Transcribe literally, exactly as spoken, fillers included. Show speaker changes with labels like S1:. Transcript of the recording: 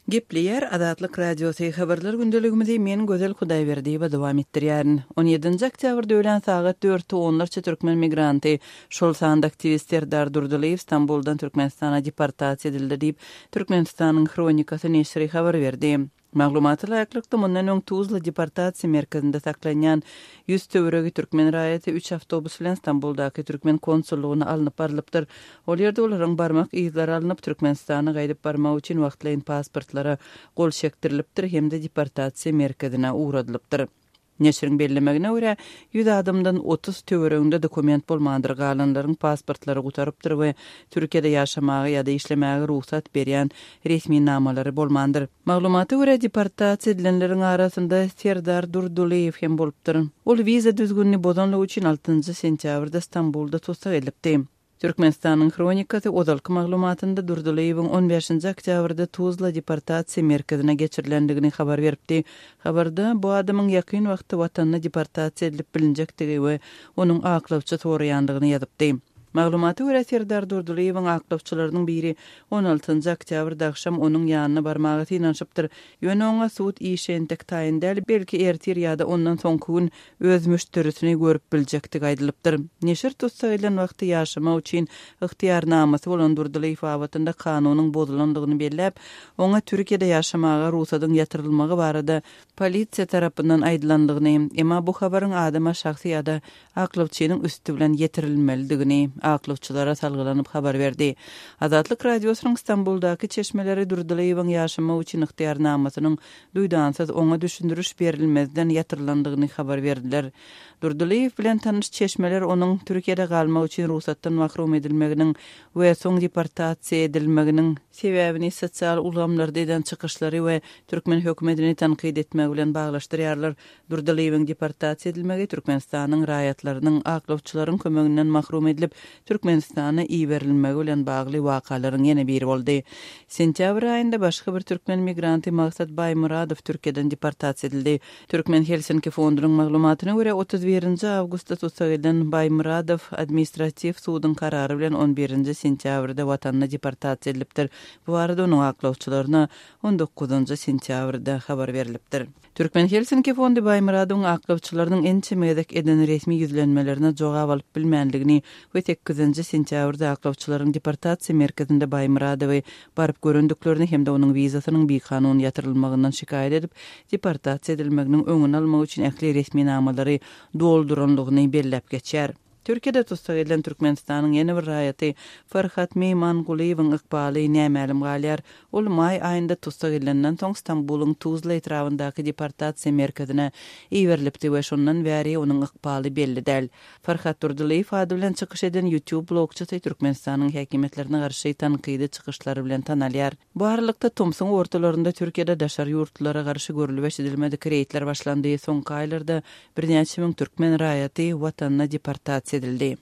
S1: Gepleýär Azatlyk Radiosy habarlar gündeligimizi men Gözel Hudaýberdiýewa dowam etdirýärin. on ýedinji oktýabrda öýlän sagat dörtde onlarça türkmen migranty, şol sanda aktiwist Serdar Durdylyýew Stambuldan Türkmenistana deportasiýa edildi diýip, Türkmenistanyň Hronikasy neşiri habar berdi. Maglumata laýyklykda mundan öň Tuzla deportasiýa merkezinde saklanýan ýüz töweregi türkmen raýaty üç awtobus bilen Stambuldaky türkmen konsullygyna alnyp barylypdyr. Ol ýerde olaryň barmak yzlary alnyp, Türkmenistana gaýdyp barmak üçin wagtlaýyn pasportlara gol çekdirilipdir hem-de deportasiýa merkezine ugradylypdyr. Neşiriň bellemegine görä, ýüz adamdan otuz töwereginde dokument bolmandyr, galanlaryň pasportlary gutarypdyr we Türkiýede ýaşamaga ýa-da işlemäge rugsat berýän resminamalary bolmandyr. Maglumata görä, deportasiýa edilenleriň arasynda Serdar Durdylyýew hem bolupdyr. Ol wiza düzgünini bozanlygy üçin altynjy sentýabrda Stambulda tussag edilipdi. Türkmenistanyň Hronikasy ozalky maglumatynda Durdylyýewiň on bäşinji oktýabrda Tuzla deportasiýa merkezine geçirilendigini habar beripdi. Habarda bu adamyň ýakyn wagtda watanyna deportasiýa edilip bilinjekdigi we onuň aklawçy soraýandygyny ýazypdy. Maglumata görä, Serdar Durdylyýewiň aklawçylarynyň biri on altynjy oktýabrda agşam onuň ýanyna barmaga synanyşypdyr. Ýöne oňa sud işi entek taýyn däl, belki ertir ýa-da ondan soňky gün öz müşderisini görüp biljekdigi aýdylypdyr. Neşir tussag edilen wagty ýaşamak üçin ygtyýarnamasy bolan Durdylyýew babatynda kanunyň bozulandygyny belläp, oňa Türkiýede ýaşamaga rugsadyň ýatyrylmagy barada polisiýa tarapyndan aýdylandygyny, emma bu habaryň adama şahsy ýa-da aklawçynyň üsti bilen ýetirilmelidigini aklawçylara salgylanyp habar berdi. Azatlyk Radiosynyň Stambuldaky çeşmeleri Durdylyýewiň ýaşamak üçin ygtyýarnamasynyň duýdansyz oňa düşündiriş berilmezden ýatyrylandygyny habar berdiler. Durdylyýew bilen tanyş çeşmeler onuň Türkiýede galmak üçin rugsatdan mahrum edilmeginiň we soň deportasiýa edilmeginiň sebäbini sosial ulgamlarda eden çykyşlary we türkmen hökümetini tankyt etmegi bilen baglaşdyrýarlar. Durdylyýewiň deportasiýa edilmegi Türkmenistanyň raýatlarynyň aklawçylaryň kömeginden mahrum edilip, Türkmenistana iberilmegi bilen bagly wakalaryň ýene biri boldy. Sentýabr aýynda başga bir türkmen migranty Maksat Baýmyradow Türkiýeden deportasiýa edildi. Türkmen Helsinki fondunyň maglumatyna görä, otuz birinji awgustda tussag edilen Baýmyradow administratiw suduň karary bilen on birinji sentýabrda watanyna deportasiýa edilipdir. Bu barada onuň aklawçylaryna on dokuzynjy sentýabrda habar berilipdir. Türkmen Helsinki fondy Baýmyradowyň aklawçylarynyň ençeme gezek eden resmi ýüzlenmelerine jogap alyp bilmänligini we sekizinji sentýabrda aklawçylaryň deportasiýa merkezinde Baýmyradowy baryp görendiklerini hem-de onuň wizasynyň bikanun ýatyrylmagyndan şikaýat edip, deportasiýa edilmeginiň öňüni almak üçin ähli resminamalary dolduranlygyny belläp geçýär. Türkiýede tussag edilen Türkmenistanyň ýene bir raýaty Farhat Meýmangulyýewiň ykbaly nämälim galýar. Ol maý aýynda tussag edilenden soň Stambulyň Tuzla etrabyndaky deportasiýa merkezine iberilipdi we şondan bäri onuň ykbaly belli däl. Farhat Durdylyýew ady bilen çykyş eden YouTube blogçysy Türkmenistanyň häkimiýetlerine garşy tankydy çykyşlary bilen tanalýar. Bu aralykda tomsuň ortalarynda Türkiýede daşary ýurtlara garşy görülip eşidilmedik reýdler başlandy. Soňky aýlarda birnäçe müň türkmen raýaty watanyna deportasiýa edildi.